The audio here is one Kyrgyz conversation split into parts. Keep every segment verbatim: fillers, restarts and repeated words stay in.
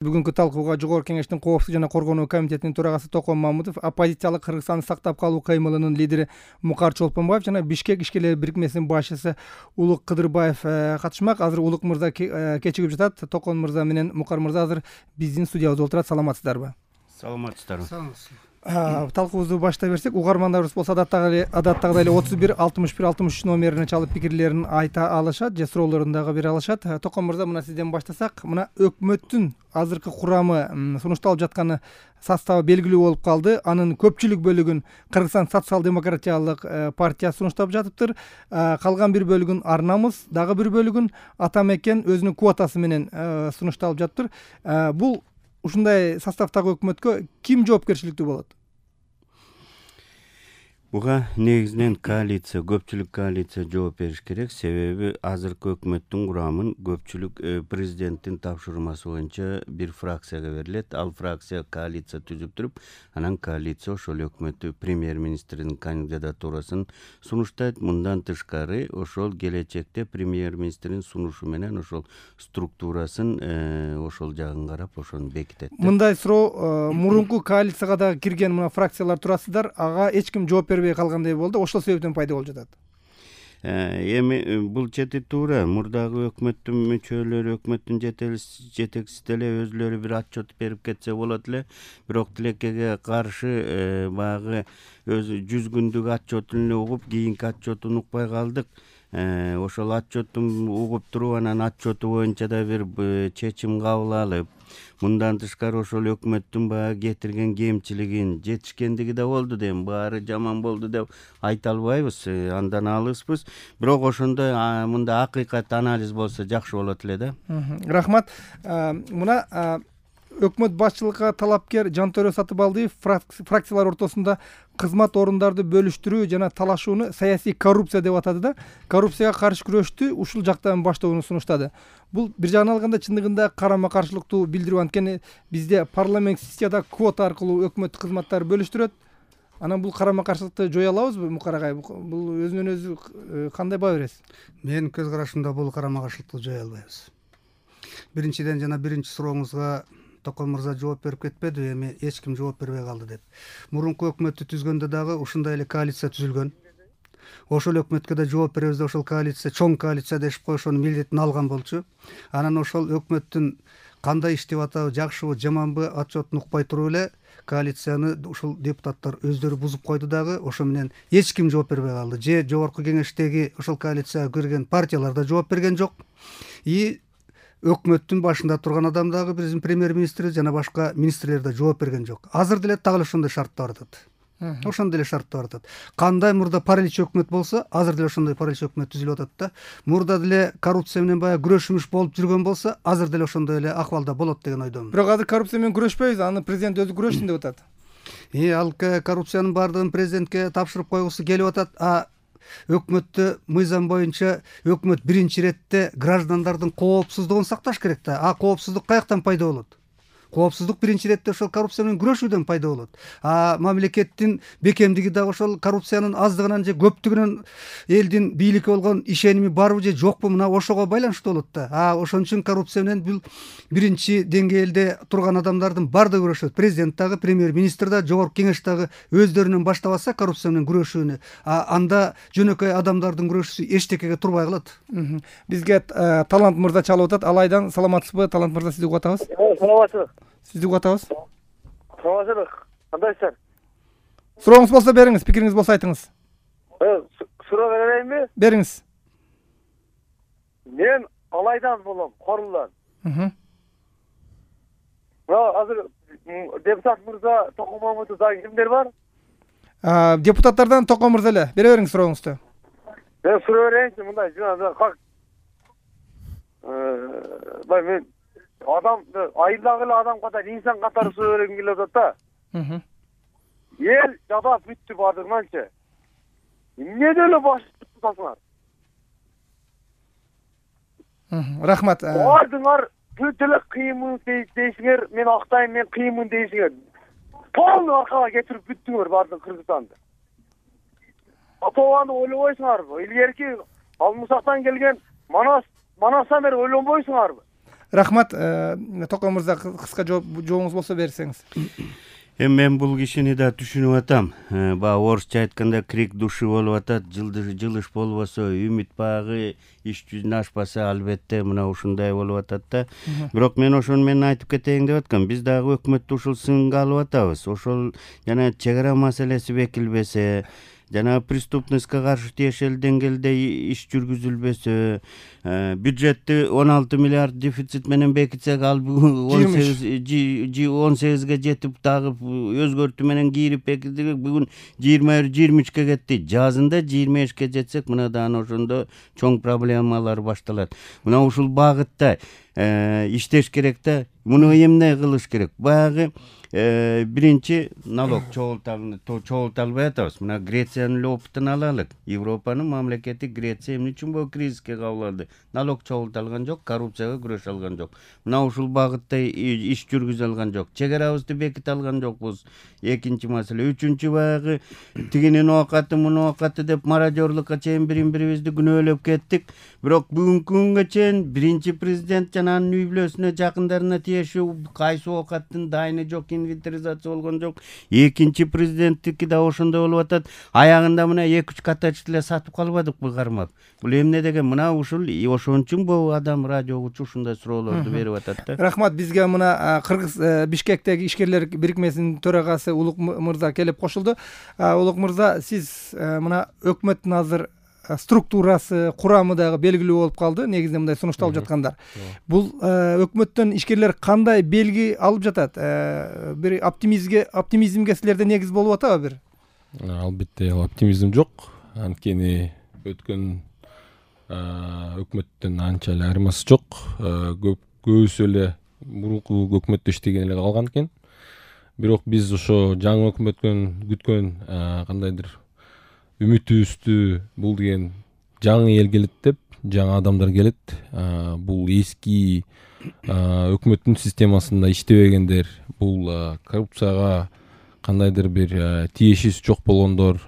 Бүгүнкү талкууга Жогорку Кеңештин Коопсуздук жана Коргонуу комитетинин төрагасы Токон Мамытов, оппозициялык Кыргызстанды сактап калуу кыймылынын лидери Мукар Чолпонбаев жана Бишкек ишкерлери бирикмесинин башчысы Улук Кыдырбаев катышмак. Азыр Улук мырза кечигип жатат. Токон мырза менен Мукар мырза азыр биздин студиябызда отурат. Саламатсыздарбы? Саламатсыздарбы. Талкуубузду баштай берсек, угармандарыбыз болсо адаттагы адаттагыдай эле отуз бир алтымыш бир алтымыш үч номерине чалып пикирлерин айта алышат же суроолорун дагы бере алышат. Токон мырза, мына сизден баштасак, мына өкмөттүн азыркы курамы сунушталып жатканы составы белгилүү болуп калды. Анын көпчүлүк бөлүгүн Кыргызстан социал-демократиялык партиясы сунуштап жатыптыр. Калган бир бөлүгүн Ар Намыс, дагы бир бөлүгүн Ата Мекен өзүнүн квотасы менен сунушталып жатыптыр. Бул ушундай составдагы өкмөткө ким жоопкерчиликтүү болот? Буга негизинен коалиция, көпчүлүк коалиция жооп бериш керек. Себеби азыркы өкмөттүн курамын көпчүлүк президенттин тапшырмасы боюнча бир фракцияга берилет. Ал фракция коалиция түзүп туруп, анан коалиция ошол өкмөттү премьер-министрдин кандидатурасын сунуштайт. Мындан тышкары, ошол келечекте премьер-министрдин сунушу менен ошол структурасын ошол жагын карап, ошону бекитет. Мындай суроо, мурунку коалицияга да кирген мына фракциялар турасыздар, ага эч ким жооп бербей калгандай болду. Ошол себептен пайда болуп жатат. Эми бул чети туура. Мурдагы өкмөттүн мүчөлөрү, өкмөттүн жетекчиси деле өзүлөрү бир отчет берип кетсе болот эле. Бирок тилекеге каршы баягы өзү жүз күндүк отчетун эле угуп, кийинки отчетун укпай калдык. Ошол отчеттун угуп туруп, анан отчету боюнча да бир чечим кабыл алып, мындан тышкары ошол өкмөттүн баягы кетирген кемчилигин, жетишкендиги да болду дейм, баары жаман болду деп айта албайбыз, андан алыспыз. Бирок ошондой мындай акыйкат анализ болсо жакшы болот эле да. Рахмат. Мына өкмөт башчылыкка талапкер Жантөрө Сатыбалдиев фракциялар ортосунда кызмат орундарды бөлүштүрүү жана талашууну саясий коррупция деп атады да. Коррупцияга каршы күрөштү ушул жактан баштоону сунуштады. Бул бир жагынан алганда чындыгында карама-каршылыктуу билдирүү. Анткени бизде парламент сессияда квота аркылуу өкмөт кызматтары бөлүштүрөт. Анан бул карама-каршылыкты жое алабызбы, Мукар агай? Бул өзүнөн өзү кандай баа бересиз? Менин көз карашымда бул карама-каршылыкты жое албайбыз. Биринчиден, жана биринчи сурооңузга Токон мырза жооп берип кетпеди, эми эч ким жооп бербей калды деп. Мурунку өкмөттү түзгөндө дагы ушундай эле коалиция түзүлгөн. Ошол өкмөткө да жооп беребиз деп ошол коалиция, чоң коалиция дешип коюшунун милдетин алган болчу. Анан ошол өкмөттүн кандай иштеп атабы, жакшыбы, жаманбы отчетун укпай туруп эле коалицияны ушул депутаттар өздөрү бузуп койду дагы. Ошо менен эч ким жооп бербей калды. Же жогорку кеңештеги ошол коалицияга кирген партиялар да жооп берген жок. И өкмөттүн башында турган адам дагы биздин премьер-министр жана башка министрлер да жооп берген жок. Азыр деле так ошондой шартта баратат. Ошондой эле шартта баратат. Кандай мурда паралич өкмөт болсо, азыр деле ошондой паралич өкмөт түзүлүп атат да. Мурда деле коррупция менен баягы күрөшүмүш болуп жүргөн болсо, азыр деле ошондой эле акыбалда болот деген ойдомун. Бирок азыр коррупция менен күрөшпөйбүз, аны президент өзү күрөшсүн деп атат. И ал коррупциянын баардыгын президентке тапшырып койгусу келип атат. А өкмөттө мыйзам боюнча өкмөт биринчи иретте граждандардын коопсуздугун сакташ керек да. А коопсуздук каяктан пайда болот? Коопсуздук биринчи иретте ошол коррупция менен күрөшүүдөн пайда болот. А мамлекеттин бекемдиги дагы ошол коррупциянын аздыгынан же көптүгүнөн элдин бийликке болгон ишеними барбы же жокпу, мына ошого байланыштуу болот да. А ошон үчүн коррупция менен бул биринчи деңгээлде турган адамдардын баардыгы күрөшөт. Президент дагы, премьер-министр да, жогорку кеңеш дагы өздөрүнөн баштабаса коррупция менен күрөшүүнү, а анда жөнөкөй адамдардын күрөшүүсү эчтекеге турбай калат. Бизге Талант мырза чалып атат. Алайдан саламатсызбы? Талант мырза, сизди угатабыз. Саламатсызбы? Сизди угатабыз. Саламатсызбы? Кандайсыздар? Сурооңуз болсо бериңиз, пикириңиз болсо айтыңыз. Суроо берейинби? Бериңиз. Мен Алайдан болом, Корулдан. Мына азыр депутат мырза Токон Мамытов дагы кимдер бар? Депутаттардан Токон мырза эле. Бере бериңиз сурооңузду. Мен суроо берейинчи, мындай жана как бай мен адам айылдагы эле адам катары, инсан катары суроо бергим келип атат да. Эл жадап бүттү баардыгынанчы. Эмне эле баш тутасыңар? Рахмат. Баардыгыңар бүт эле кыйынмын дейсиңер, мен актайм, мен кыйынмын дейсиңер. Полный аркага кетирип бүттүңөр баардык Кыргызстанды. Атабаны ойлобойсуңарбы? Илгерки Алмусактан келген Манас Манастан бери ойлонбойсуңарбы? Рахмат. Токон мырза, кыска жообуңуз болсо берсеңиз. Эми мен бул кишини да түшүнүп атам. Баягы орусча айтканда крик души болуп атат. Жылыш болбосо, үмүт багы иш жүзүнө ашпаса, албетте мына ушундай болуп атат да. Бирок мен ошону мен айтып кетейин деп аткам. Биз дагы өкмөттү ушул сынга алып атабыз. Ошол жана чек ара маселеси бекилбесе, жана преступностько каршы тиешелүү деңгээлде иш жүргүзүлбөсө, бюджетти он алты миллиард дефицит менен бекитсек, ал бүгүн он сегизге жетип дагы өзгөртүү менен кийирип бекитсек, бүгүн жыйырма жыйырма үчкө кетти. Жазында жыйырма бешке жетсек, мынадан ошондо чоң проблемалар башталат. Мына ушул багытта иштеш керек да. Муну эмне кылыш керек? Баягы биринчи налог чогулталбай атабыз. Мына Грециянын эле опытын алалык. Европанын мамлекети Греция эмне үчүн бул кризиске кабыл алды? Налог чогулталган жок, коррупцияга күрөш алган жок. Мына ушул багытта иш жүргүзө алган жок. Чек арабызды беките алган жокпуз. Экинчи маселе. Үчүнчү, баягы тигинин оокаты, мунун оокаты деп мародёрлукка чейин бири-бирибизди күнөөлөп кеттик. Бирок бүгүнкү күнгө чейин биринчи президент жана анын үй бүлөсүнө, жакындарына тиешүү кайсы оокаттын дайыны жок, инвентаризация болгон жок. Экинчи президенттики да ошондой болуп атат. Аягында мына эки үч катачты эле сатып калбадыкпы кармап? Бул эмне деген? Мына ушул ошон үчүн бул адам радио угучу ушундай суроолорду берип атат да. Рахмат. Бизге мына Кыргыз Бишкектеги ишкерлер бирикмесинин төрагасы Улук мырза келип кошулду. Улук мырза, сиз мына өкмөттүн азыр структурасы, курамы дагы белгилүү болуп калды. Негизинде мындай сунушталып жаткандар. Бул өкмөттөн ишкерлер кандай белги алып жатат? Бир оптимизмге, оптимизмге силерде негиз болуп атабы бир? Албетте, оптимизм жок. Анткени өткөн өкмөттөн анча эле айырмасы жок. Көбүсү эле мурунку өкмөттө иштеген эле калган экен. Бирок биз ошо жаңы өкмөттөн күткөн кандайдыр үмүтүбүздү, бул деген жаңы эл келет деп, жаңы адамдар келет. Бул эски өкмөттүн системасында иштебегендер, бул коррупцияга кандайдыр бир тиешеси жок болгондор,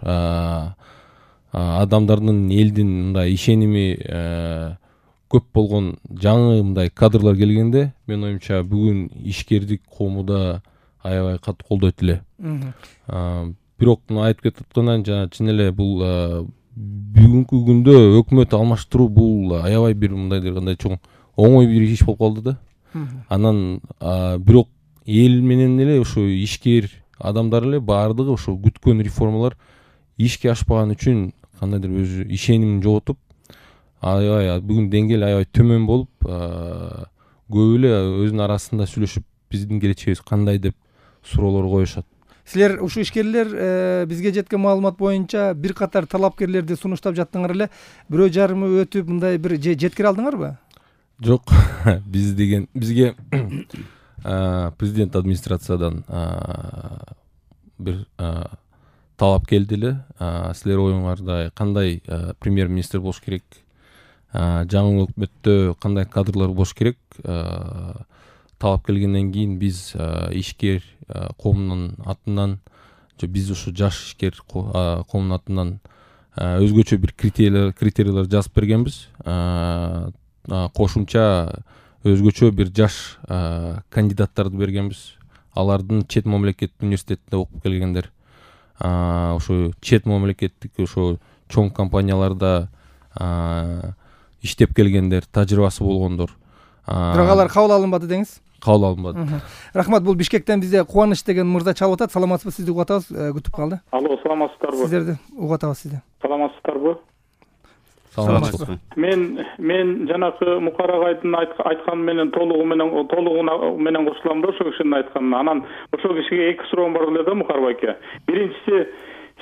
адамдардын элдин мындай ишеними көп болгон жаңы мындай кадрлар келгенде, мен оюмча бүгүн ишкердик коомуда аябай катуу колдойт эле. Бирок мына айтып кетип аткандан жана чын эле бул бүгүнкү күндө өкмөт алмаштыруу бул аябай бир мындайдыр кандай чоң оңой бир иш болуп калды да. Анан бирок эл менен эле ошо ишкер адамдар эле баардыгы ошо күткөн реформалар ишке ашпаган үчүн кандайдыр өзү ишенимин жоготуп, аябай бүгүн деңгээл аябай төмөн болуп, көп эле өзүнүн арасында сүйлөшүп биздин келечегибиз кандай деп суроолор коюшат. Силер ушул ишкерлер бизге жеткен маалымат боюнча бир катар талапкерлерди сунуштап жаттыңар эле. Бирөө жарымы өтүп мындай бир жеткире алдыңарбы? Жок. Биз деген бизге президент администрациядан бир талап келди эле. Силер оюңарда кандай премьер-министр болуш керек? Жаңы өкмөттө кандай кадрлар болуш керек? Талап келгенден кийин биз ишкер коомдун атынан, биз ушу жаш ишкер коомдун атынан өзгөчө бир критерийлер критерийлер жазып бергенбиз. Кошумча өзгөчө бир жаш кандидаттарды бергенбиз. Алардын чет мамлекеттик университетинде окуп келгендер, ошо чет мамлекеттик ошо чоң компанияларда иштеп келгендер, тажрыйбасы болгондор. Бирок алар кабыл алынбады деңиз? Кабыл алынбады. Рахмат. Бул Бишкектен бизде Кубаныч деген мырза чалып атат. Саламатсызбы? Сизди угуп атабыз. Күтүп калды. Алло, саламатсыздарбы? Сиздерди угуп атабыз сизди. Саламатсыздарбы? Саламатсызбы. Мен мен жанакы Мукар агайдын айтканы менен толугу менен толугу менен кошулам да, ошо кишинин айтканына. Анан ошол кишиге эки суроом бар эле да, Мукар байке. Биринчиси,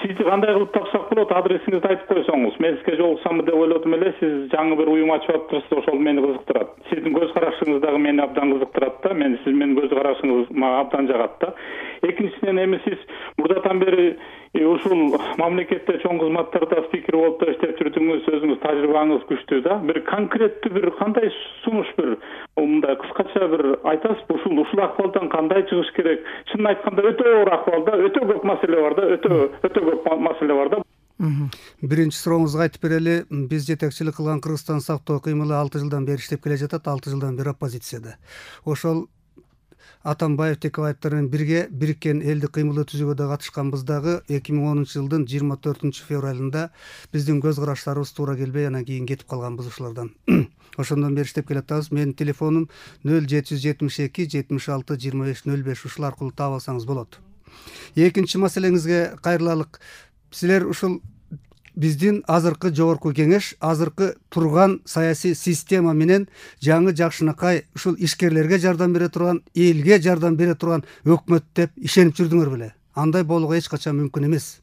сизди кандай кылып тапсак болот, адресиңизди айтып койсоңуз. Мен сизге жолуксамбы деп ойлодум эле. Сиз жаңы бир уюм ачып атыптырсыз, ошол мени кызыктырат. Сиздин көз карашыңыз дагы мени абдан кызыктырат да. Мен сиз менин көз карашыңыз мага абдан жагат да. Экинчиден, эми сиз мурдатан бери ушул мамлекетте чоң кызматтарда спикер болуп да иштеп жүрдүңүз, өзүңүз тажрыйбаңыз күчтүү да. Бир конкреттүү бир кандай сунуш бир мындай кыскача бир айтасызбы, ушул ушул акыбалдан кандай чыгыш керек? Чынын айтканда өтө оор акыбал да, өтө көп маселе бар да, өтө өтө көп маселе бар да. Биринчи сурооңузга айтып берели. Биз жетекчилик кылган Кыргызстан сактоо кыймылы алты жылдан бери иштеп келе жатат. алты жылдан бери оппозицияда. Ошол Атамбаев, Текебаевдер менен бирге бириккен элдик кыймылды түзүүгө да катышканбыз дагы. эки миң онунчу жылдын жыйырма төртүнчү февралында биздин көз караштарыбыз туура келбей, анан кийин кетип калганбыз ушулардан. Ошондон бери иштеп келатабыз. Менин телефонум нөл жети жүз жетимиш эки жетимиш алты жыйырма беш нөл беш. Ушул аркылуу таап алсаңыз болот. Экинчи маселеңизге кайрылалык. Силер ушул биздин азыркы жогорку кеңеш, азыркы турган саясий система менен жаңы жакшынакай ушул ишкерлерге жардам бере турган, элге жардам бере турган өкмөт деп ишенип жүрдүңөр беле? Андай болууга эч качан мүмкүн эмес.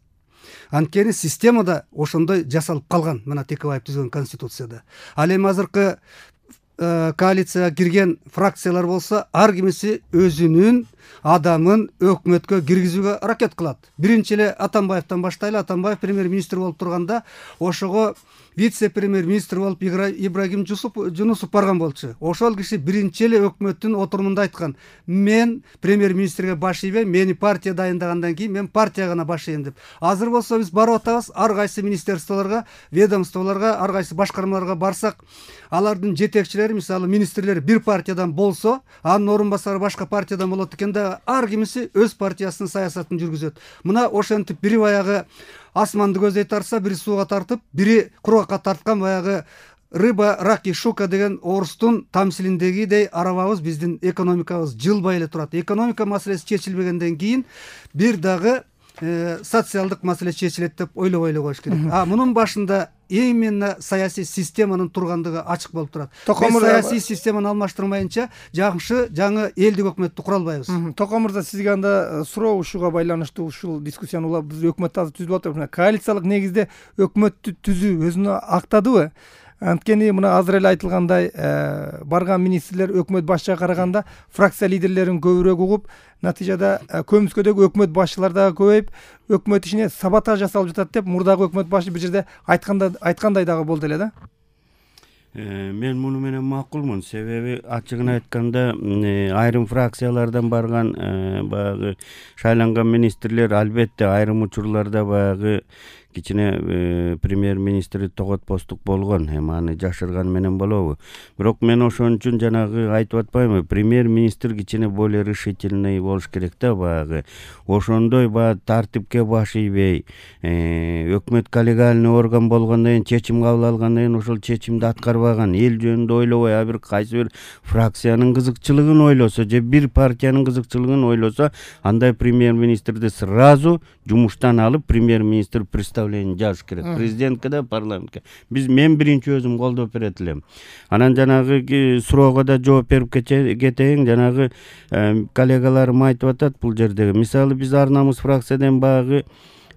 Анткени системада ошондой жасалып калган, мына Текебаев түзгөн конституцияда. Ал эми азыркы коалицияга кирген фракциялар болсо, ар кимиси өзүнүн адамын өкмөткө киргизүүгө аракет кылат. Биринчи эле Атамбаевден баштайлы. Атамбаев премьер-министр болуп турганда, ошого вице-премьер-министр болуп Ибрагим Жунусов барган болчу. Ошол киши биринчи эле өкмөттүн отурумунда айткан: мен премьер-министрге баш ийбейм, мени партия дайындагандан кийин мен партияга гана баш ийем деп. Азыр болсо биз барып атабыз, ар кайсы министерстволорго, ведомстволорго, ар кайсы башкармаларга барсак, алардын жетекчилери, мисалы министрлер бир партиядан болсо, анын орун басары башка партиядан болот экен да, ар кимиси өз партиясынын саясатын жүргүзөт. Мына ошентип бири баягы асманды көздөй тарса, бири сууга тартып, бири кургакка тарткан баягы рыба, рак и шука деген орустун тамсилиндегидей арабабыз, биздин экономикабыз жылбай эле турат. Экономика маселеси чечилбегенден кийин бир дагы социалдык маселе чечилет деп ойлобой эле коюш керек. А мунун башында именно саясий системанын тургандыгы ачык болуп турат. Биз саясий системаны алмаштырмайынча жакшы жаңы элдик өкмөттү кура албайбыз. Токо мырза, сизге анда суроо ушуга байланыштуу ушул дискуссияны улап биз өкмөттү азыр түзүп атабыз. Коалициялык негизде өкмөттү түзүү өзүнө актадыбы? Анткени мына азыр эле айтылгандай, барган министрлер өкмөт башчыга караганда фракция лидерлерин көбүрөөк угуп, натыйжада көмүскөдөгү өкмөт башчылар дагы көбөйүп, өкмөт ишине саботаж жасалып жатат деп мурдагы өкмөт башы бир жерде айтканда айткандай дагы болду эле да. Мен муну менен макулмун. Себеби ачыгын айтканда айрым фракциялардан барган баягы шайланган министрлер албетте айрым учурларда баягы кичине премьер-министри тоготпостук болгон. Эми аны жашырган менен болобу? Бирок мен ошон үчүн жанагы айтып атпаймынбы? Премьер-министр кичине более решительный болуш керек да, баягы. Ошондой баягы тартипке баш ийбей, өкмөт коллегиальный орган болгондон кийин, чечим кабыл алгандан кийин ошол чечимди аткарбаган, эл жөнүндө ойлобой, а бир кайсы бир фракциянын кызыкчылыгын ойлосо же бир партиянын кызыкчылыгын ойлосо, андай премьер-министрди сразу жумуштан алып, премьер-министр представление жазыш керек. Президентке да, парламентке. Биз мен биринчи өзүм колдоп берет элем. Анан жанагы суроого да жооп берип кетейин. Жанагы коллегаларым айтып атат бул жердеги. Мисалы биз ар намыс фракциядан багы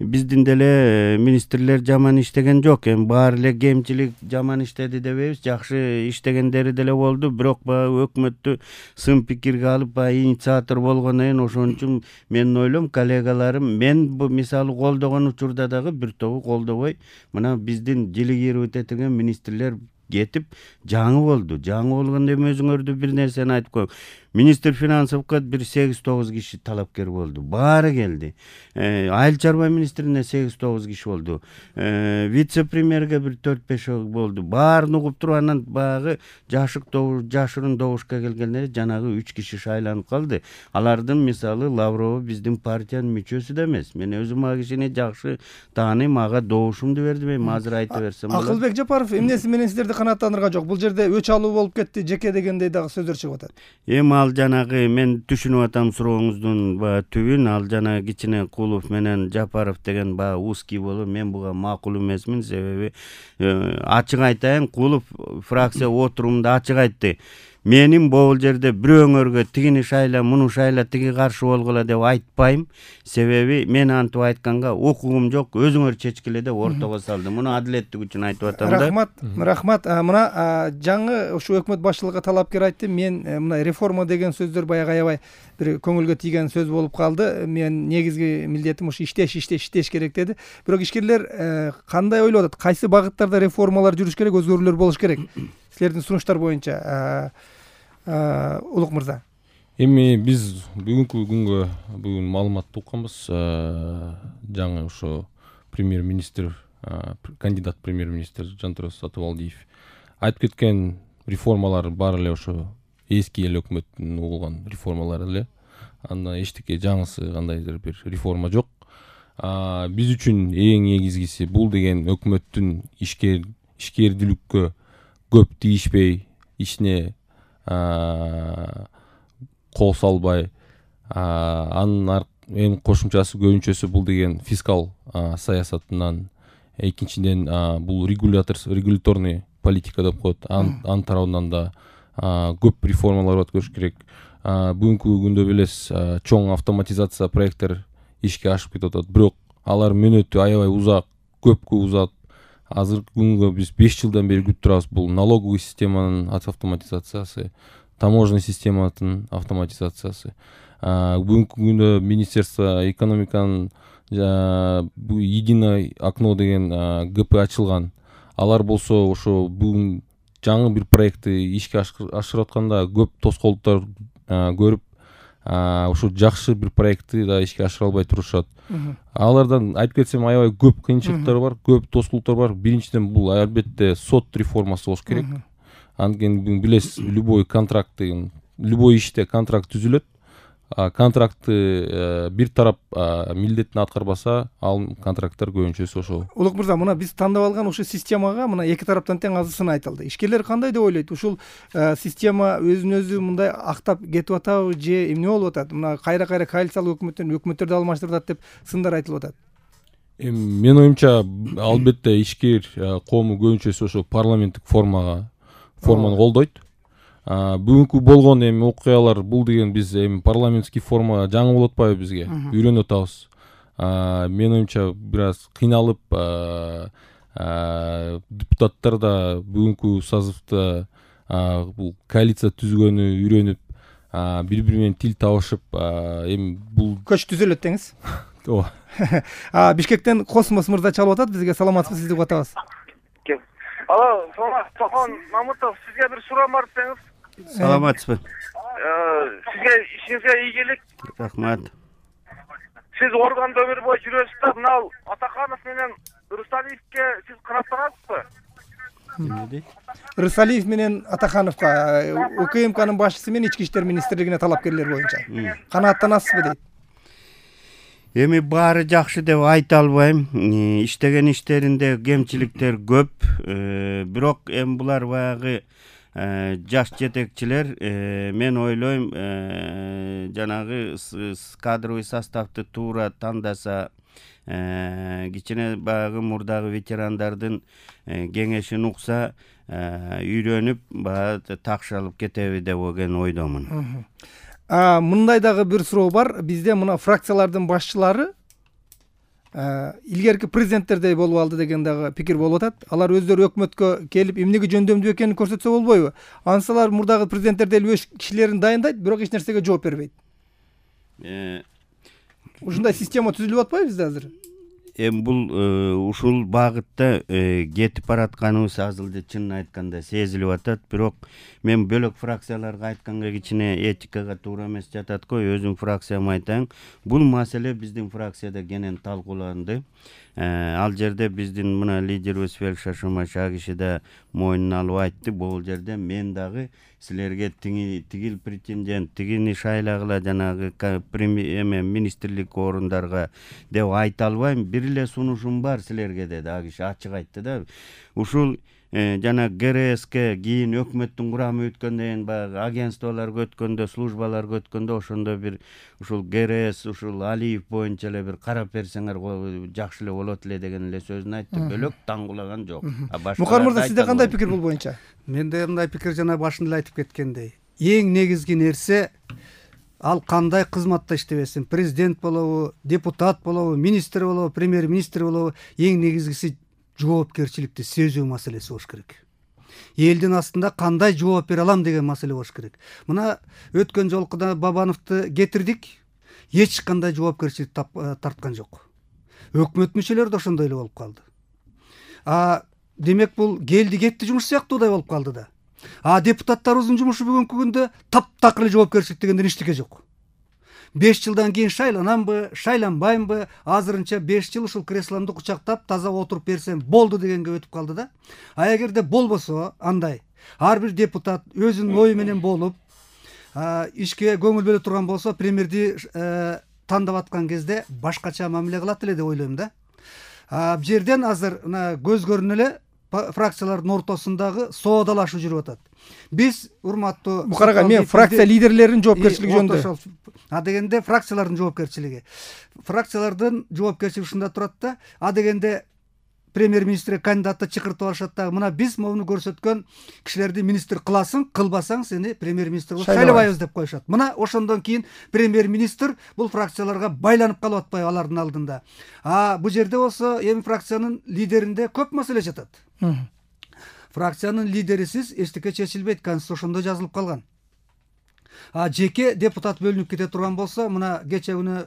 биздин деле министрлер жаман иштеген жок. Эми баары эле кемчилик жаман иштеди дебейбиз, жакшы иштегендери деле болду. Бирок баягы өкмөттү сын пикирге алып, баягы инициатор болгондон кийин ошон үчүн мен ойлойм, коллегаларым мен бу мисалы колдогон учурда дагы бир тобу колдобой, мына биздин делегировать этилген министрлер кетип жаңы болду. Жаңы болгондо эми өзүңөрдү бир нерсени айтып коеюн. Министр финансовго бир сегиз тогуз киши талапкер болду. Баары келди. Айыл чарба министрине сегиз тогуз киши болду. Вице-премьерге бир төрт беш болду. Баарын угуп туруп, анан баягы жашык жашырын добушка келгендер жанагы үч киши шайланып калды. Алардын мисалы Лаврова биздин партиянын мүчөсү да эмес. Мен өзүм а кишини жакшы тааныйм, ага добушумду бердим. Эми азыр айта берсем болот. Акылбек Жапаров, эмнеси менен сиздерди канааттандырган жок? Бул жерде өч алуу болуп кетти, жеке дегендей дагы сөздөр чыгып атат. Эми ал жанагы мен түшүнүп атам сурооңуздун баягы түбүн. Ал жана кичине Кулов менен Жапаров деген баягы узкий болуп, мен буга макул эмесмин. Себеби ачык айтайын, Кулов фракция отурумунда ачык айтты. Менин бул жерде бирөөңөргө тигини шайла, муну шайла, тиги каршы болгула деп айтпайм. Себеби мен антип айтканга укугум жок, өзүңөр чечкиле деп ортого салдым. Муну адилеттик үчүн айтып атам да. Рахмат, рахмат. Мына жаңы ушу өкмөт башчылыгы талапкер айтты. Мен мына реформа деген сөздөр баягы аябай бир көңүлгө тийген сөз болуп калды. Мен негизги милдетим ушу иштеш, иштеш, иштеш керек деди. Бирок ишкерлер кандай ойлоп атат? Кайсы багыттарда реформалар жүрүш керек, өзгөрүүлөр болуш керек? Силердин сунуштар боюнча, Улук мырза. Эми биз бүгүнкү күнгө бүгүн маалыматты укканбыз. Жаңы ошо премьер-министр кандидат премьер-министр Жантурас Сатыбалдиев айтып кеткен реформалар баары эле ошо эски эл өкмөттүн угулган реформалары эле. Анда эчтеке жаңысы кандайдыр бир реформа жок. Биз үчүн эң негизгиси бул деген өкмөттүн ишкер ишкердүүлүккө көп тийишпей, ишине кол салбай, анын эң кошумчасы көбүнчөсү бул деген фискал саясатынан, экинчиден бул регулятор регуляторный политика деп коет. Анын тарабынан да көп реформалар өткөрүш керек. Бүгүнкү күндө билесиз, чоң автоматизация проекттер ишке ашып кетип атат, бирок алар мөөнөтү аябай узак, көпкө узат. Азыркы күнгө биз беш жылдан бери күтүп турабыз бул налоговый системанын автоматизациясы, таможенный системанын автоматизациясы. Бүгүнкү күндө Министерство экономиканын единое окно деген ГП ачылган. Алар болсо ошо бүгүн жаңы бир проектти ишке ашырып атканда көп тоскоолдуктар көрүп, ошо жакшы бир проектти да ишке ашыра албай турушат. Алардан айтып кетсем аябай көп кыйынчылыктар бар, көп тоскоолдуктар бар. Биринчиден бул албетте сот реформасы болуш керек. Анткени билесиз, любой контракт деген, любой иште контракт түзүлөт. Контрактты бир тарап милдетин аткарбаса, ал контракттар көбүнчөсү ошол. Улук мырза, мына биз тандап алган ушул системага мына эки тараптан тең азысын айтылды. Ишкерлер кандай деп ойлойт? Ушул система өзүн өзү мындай актап кетип атабы же эмне болуп атат? Мына кайра-кайра коалициялык өкмөттөн өкмөттөрдү алмаштырып атат деп сындар айтылып атат. Менин оюмча, албетте ишкер коому көбүнчөсү ошо парламенттик формага форманы колдойт. Бүгүнкү болгон эми окуялар бул деген биз эми парламентский форма жаңы болуп атпайбы бизге? Үйрөнүп атабыз. Менин оюмча бир аз кыйналып, депутаттар да бүгүнкү созывда бул коалиция түзгөнү үйрөнүп, бири-бири менен тил табышып, эми бул көч түзөлөт деңиз. Ооба. Бишкектен Космос мырза чалып атат, бизге саламатсызбы, сизди кутабыз. Алло, Тохон Мамутов, сизге бир суроом бар десеңиз. Саламатсызбы. Сизге ишиңизге ийгилик. Рахмат. Сиз органда өмүр бою жүрөсүз да, мына Атаканов менен Рысалиевке сиз канаттанасызбы? Эмне? Рысалиев менен Атакановго УКМКнын башчысы менен Ички иштер министрлигине талапкерлер боюнча канааттанасызбы дейт. Эми баары жакшы деп айта албайм. Иштеген иштеринде кемчиликтер көп. Бирок эми булар баягы жаш жетекчилер, мен ойлойм, жанагы кадровый составты туура тандаса, кичине баягы мурдагы ветерандардын кеңешин укса, үйрөнүп, баягы такшалып кетеби деп ойдомун. Мындай дагы бир суроо бар. Бизде мына фракциялардын башчылары илгерки президенттердей болуп алды деген дагы пикир болуп атат. Алар өздөрү өкмөткө келип эмнеге жөндөмдүү экенин көрсөтсө болбойбу? Ансалар мурдагы президенттердей эле өз кишилерин дайындайт, бирок эч нерсеге жооп бербейт. Ушундай система түзүлүп атпайбы бизде азыр? Эми бул ушул багытта кетип баратканыбыз азыр чынын айтканда сезилип атат, бирок мен бөлөк фракцияларга айтканга кичине этикага туура эмес жатат го. Өзүм фракцияма айтайын, бул маселе биздин фракцияда кенен талкууланды. Ал жерде биздин мына лидерибиз Фелик Шашмаша киши да мойнуна алып айтты, бул жерде мен дагы силерге тигил претендент, тигини шайлагыла жанагы эме министрлик орундарга деп айта албайм. Бир эле сунушум бар силерге деди, а киши ачык айтты да. Ушул жана ГРСке кийин өкмөттүн курамы өткөндөн кийин баягы агентстволорго өткөндө, службаларга өткөндө ошондо бир ушул ГРС ушул Алиев боюнча эле бир карап берсеңер жакшы эле болот эле деген эле сөзүн айтты. Бөлөк таңгулаган жок. Мукар мырза, сизде кандай пикир бул боюнча? Менде мындай пикир, жана башында айтып кеткендей, эң негизги нерсе ал кандай кызматта иштебесин, президент болобу, депутат болобу, министр болобу, премьер-министр болобу, эң негизгиси жоопкерчиликти сезүү маселеси болуш керек. Элдин астында кандай жооп бере алам деген маселе болуш керек. Мына өткөн жолкуда Бабановду кетирдик, эч кандай жоопкерчилик тарткан жок. Өкмөт мүчөлөрү да ошондой эле болуп калды. А демек бул келди кетти жумуш сыяктуудай болуп калды да. А депутаттарыбыздын жумушу бүгүнкү күндө таптакыр эле жоопкерчилик дегенден эчтеке жок. беш жылдан кийин шайланамбы, шайланбаймбы, азырынча беш жыл ушул кресломду кучактап таза отуруп берсем болду дегенге өтүп калды да. А эгерде болбосо андай, ар бир депутат өзүнүн ою менен болуп, ишке көңүл бөлө турган болсо, премьерди тандап аткан кезде башкача мамиле кылат эле деп ойлойм да. Бул жерден азыр мына көз көрүнө эле фракциялардын ортосундагы соодалашуу жүрүп атат. Биз урматтуу Мукарага, мен фракция лидерлеринин жоопкерчилиги жөнүндө. А дегенде фракциялардын жоопкерчилиги. Фракциялардын жоопкерчилиги ушунда турат да. А дегенде премьер-министрге кандидатты чакыртып алышат да. Мына биз моуну көрсөткөн кишилерди министр кыласың, кылбасаң сени премьер-министр кылып шайлабайбыз деп коюшат. Мына ошондон кийин премьер-министр бул фракцияларга байланып калып атпайбы алардын алдында. А бул жерде болсо эми фракциянын лидеринде көп маселе жатат. Фракциянын лидерисиз эчтеке чечилбейт, конституцияда жазылып калган. А жеке депутат бөлүнүп кете турган болсо, мына кече күнү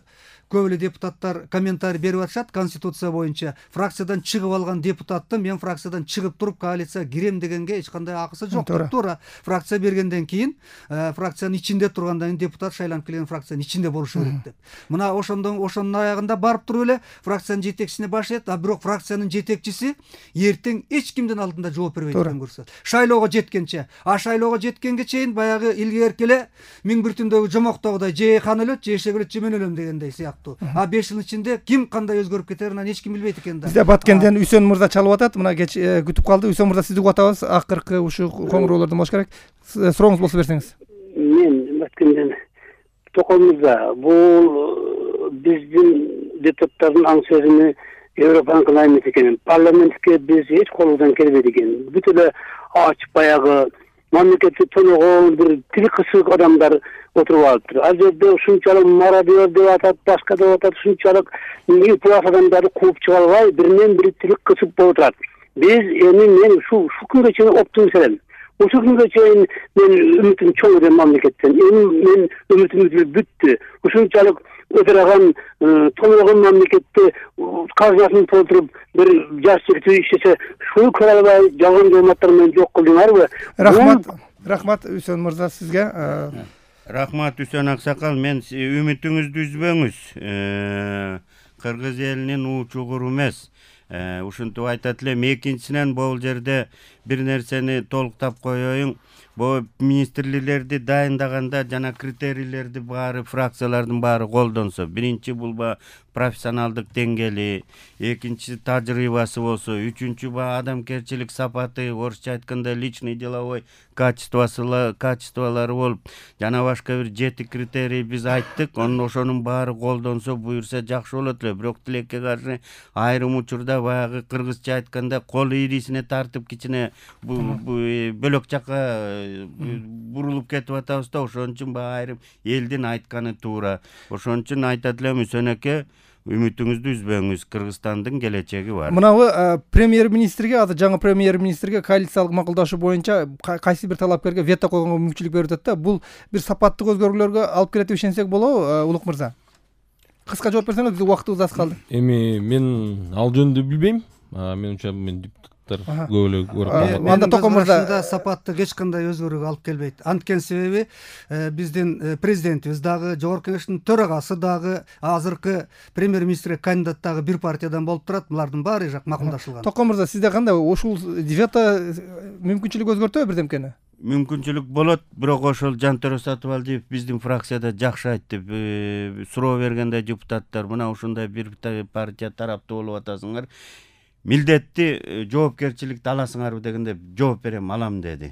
көп эле депутаттар комментарий берип атышат конституция боюнча. Фракциядан чыгып алган депутаттын мен фракциядан чыгып туруп коалицияга кирем дегенге эч кандай акысы жок. Туура. Фракция бергенден кийин, фракциянын ичинде тургандан кийин депутат шайланып келген фракциянын ичинде болушу керек деп. Мына ошондон ошонун аягында барып туруп эле фракциянын жетекчисине баш ийет, а бирок фракциянын жетекчиси эртең эч кимдин алдында жооп бербейт экен көрсөт. Шайлоого жеткенче, а шайлоого жеткенге чейин баягы илгерки эле миң бир түндөгү жомоктогудай же хан өлөт, же эшек өлөт, же мен өлөм дегендей сыяктуу. А беш жыл ичинде ким кандай өзгөрүп кетерин эч ким билбейт экен да. Бизде Баткенден Үсөн мырза чалып атат. Мына кеч күтүп калды. Үсөн мырза, сизди угуп атабыз. Акыркы ушу коңгуроолордон болуш керек. Сурооңуз болсо берсеңиз. Мен Баткенден Токон мырза, бул биздин депутаттардын аң сөзүнө Европаныкына эмес экен. Парламентке биз эч колубуздан келбейт экен. Бүт эле ачык баягы мамлекетти тоногон бир тили кысык адамдар отуруп алыптыр. Ал жерде ушунчалык мародер деп атат, башка деп атат, ушунчалык плас адамдарды кууп чыга албай, биринен бири тили кысып болуп турат. Биз эми мен ушу ушул күнгө чейин оптимист элем. Ушул күнгө чейин мен үмүтүм чоң эле мамлекеттен. Эми мен үмүтүм бүттү. Ушунчалык өтөргөн тоногон мамлекетти казынасын толтуруп бир жаш жигит иштесе, шуну көрө албай жалган кызматтар менен жок кылдыңарбы? Рахмат. Рахмат Үсөн мырза сизге. Рахмат Үсөн аксакал, мен үмүтүңүздү үзбөңүз. Кыргыз элинин уучугуру эмес. Ушинтип айтат элем. Экинчисинен бул жерде бир нерсени толуктап коеюн. Бу министрликтерди дайындаганда жана критерийлерди баары фракциялардын баары колдонсо, биринчи бул профессионалдык деңгээли, экинчиси тажрыйбасы болсо, үчүнчү ба адамгерчилик сапаты, орусча айтканда личный деловой качествосу качестволору болуп, жана башка бир жети критерий биз айттык. Онун ошонун баары колдонсо, буюрса жакшы болот эле. Бирок тилекке каршы айрым учурда баягы кыргызча айтканда кол ирисине тартып кичине бөлөк жакка бурулуп кетип атабыз да. Ошон үчүн баягы айрым элдин айтканы туура. Ошон үчүн айтат элем, Үсөн эке, үмүтүңүздү үзбөңүз, Кыргызстандын келечеги бар. Мынабы премьер-министрге, азыр жаңы премьер-министрге коалициялык макулдашуу боюнча кайсы бир талапкерге вето койгонго мүмкүнчүлүк берип атат да. Бул бир сапаттык өзгөрүүлөргө алып келет деп ишенсек болобу, Улук мырза? Кыска жооп берсеңиз, убактыбыз аз калды. Эми мен ал жөнүндө билбейм. Менимче мен депутаттар көп эле көрүп. Анда Токон мырза сапаттык эч кандай өзгөрүүгө алып келбейт. Анткени себеби биздин президентибиз дагы, жогорку кеңештин төрагасы дагы, азыркы премьер-министрге кандидат дагы бир партиядан болуп турат. Булардын баары жак макулдашылган. Токон мырза, сизде кандай ушул вето мүмкүнчүлүк өзгөртөбү бирдемкени? Мүмкүнчүлүк болот, бирок ошол Жантөрө Сатыбалдиев биздин фракцияда жакшы айтты. Суроо бергенде депутаттар, мына ушундай бир партия тараптуу болуп атасыңар, милдетти жоопкерчиликти аласыңарбы дегенде жооп берем, алам деди.